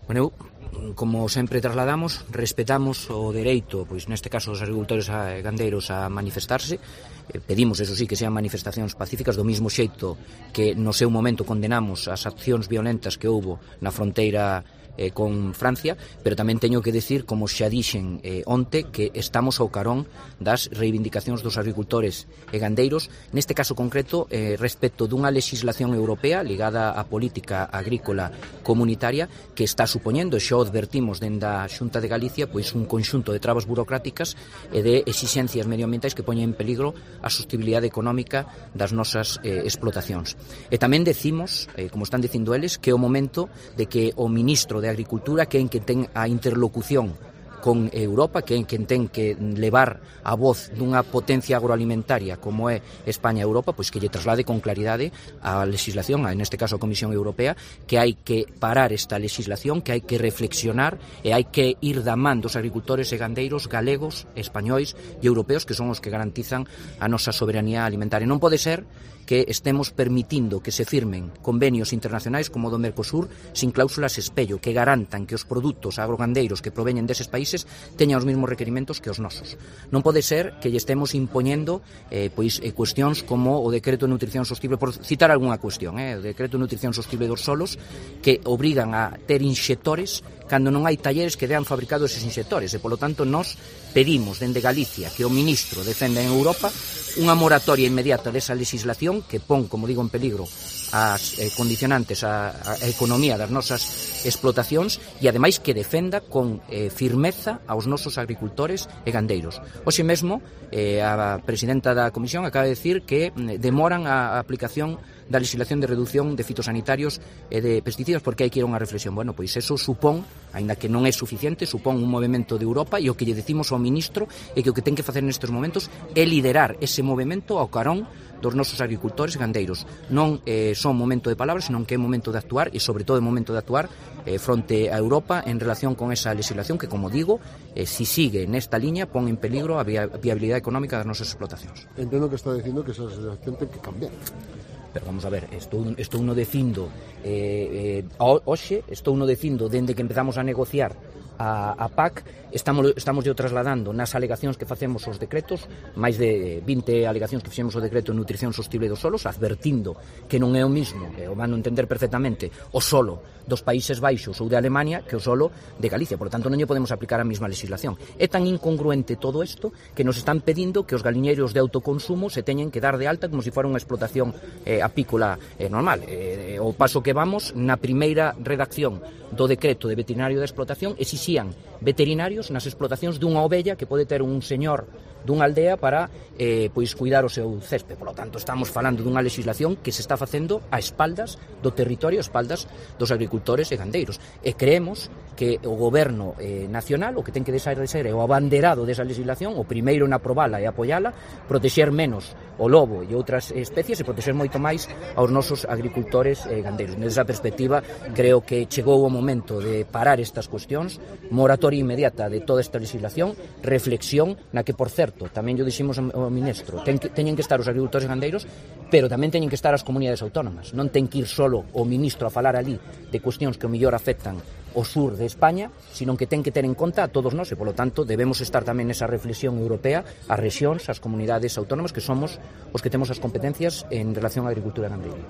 Bueno, como sempre trasladamos, respetamos o dereito, pois neste caso dos agricultores e gandeiros a manifestarse. Pedimos, eso sí, que sean manifestacións pacíficas, do mismo xeito que no seu momento condenamos as accións violentas que houbo na fronteira con Francia, pero tamén teño que decir, como xa dixen onte, que estamos ao carón das reivindicacións dos agricultores e gandeiros, neste caso concreto respecto dunha legislación europea ligada á política agrícola comunitaria que está supoñendo, e xa o advertimos dende a Xunta de Galicia, pois un conxunto de trabas burocráticas e de exixencias medioambientais que poñen en peligro a sostenibilidade económica das nosas explotacións. E tamén decimos, como están dicindo eles, que é o momento de que o ministro de Agricultura, que é quen ten a interlocución con Europa, que é quen ten que levar a voz dunha potencia agroalimentaria como é España e Europa, pois que lle traslade con claridade a legislación, neste caso a Comisión Europea, que hai que parar esta legislación, que hai que reflexionar e hai que ir da man dos agricultores e gandeiros galegos, españois e europeos, que son os que garantizan a nosa soberanía alimentaria. Non pode ser que estemos permitindo que se firmen convenios internacionais como o do Mercosur sin cláusulas espello, que garantan que os produtos agrogandeiros que proveñen deses países teñan os mesmos requerimentos que os nosos. Non pode ser que lle estemos impoñendo cuestións como o Decreto de Nutrición Sostible, por citar algunha cuestión, o Decreto de Nutrición Sostible dos solos, que obrigan a ter inxectores cando non hai talleres que dean fabricado eses inxectores, e polo tanto nós pedimos dende Galicia que o ministro defenda en Europa unha moratoria inmediata desa legislación que pon, como digo, en peligro as condicionantes a economía das nosas explotacións e ademais que defenda con firmeza aos nosos agricultores e gandeiros. Hoxe mesmo a presidenta da Comisión acaba de decir que demoran a aplicación da legislación de reducción de fitosanitarios e de pesticidas porque hai que ir a unha reflexión. Bueno, pois eso supón, aínda que non é suficiente, supón un movimento de Europa, e o que lle decimos ao ministro é que o que ten que facer nestes momentos é liderar ese movimento ao carón dos nosos agricultores e gandeiros. Non son momento de palabras, senón que é momento de actuar, e sobre todo é momento de actuar fronte a Europa en relación con esa legislación que, como digo, si sigue nesta liña, pon en peligro a viabilidade económica das nosas explotacións. Entendo que está dicindo que esa legislación ten que cambiar. Pero vamos a ver, estou no decindo hoxe, estou no decindo dende que empezamos a negociar a PAC, estamos yo trasladando nas alegacións que facemos aos decretos, máis de 20 alegacións que fixemos ao decreto de Nutrición Sostible dos solos, advertindo que non é o mismo, o van a entender perfectamente, o solo dos Países Baixos ou de Alemania que o solo de Galicia, por lo tanto non lle podemos aplicar a mesma legislación. É tan incongruente todo isto que nos están pedindo que os galiñeiros de autoconsumo se teñen que dar de alta como se fora unha explotación apícola normal. O paso que vamos, na primeira redacción do decreto de veterinario de explotación, exixían veterinarios nas explotacións dunha ovella que pode ter un señor dunha aldea para cuidar o seu césped. Por lo tanto, estamos falando dunha legislación que se está facendo a espaldas do territorio, a espaldas dos agricultores e gandeiros. E creemos que o goberno nacional o que ten que deixar de ser é o abanderado desa legislación, o primeiro en aprobala e apoiala, protexer menos o lobo e outras especies e protexer moito máis aos nosos agricultores e gandeiros. Nesa perspectiva, creo que chegou o momento de parar estas cuestións, moratoria inmediata de toda esta legislación, reflexión na que, por certo, tamén yo diximos ao ministro, teñen que estar os agricultores e gandeiros, pero tamén teñen que estar as comunidades autónomas. Non ten que ir solo o ministro a falar ali de cuestións que o mellor afectan o sur de España, sino que ten que ter en conta a todos nós, e polo tanto debemos estar tamén nesa reflexión europea, as rexións, as comunidades autónomas, que somos os que temos as competencias en relación á agricultura e gandería.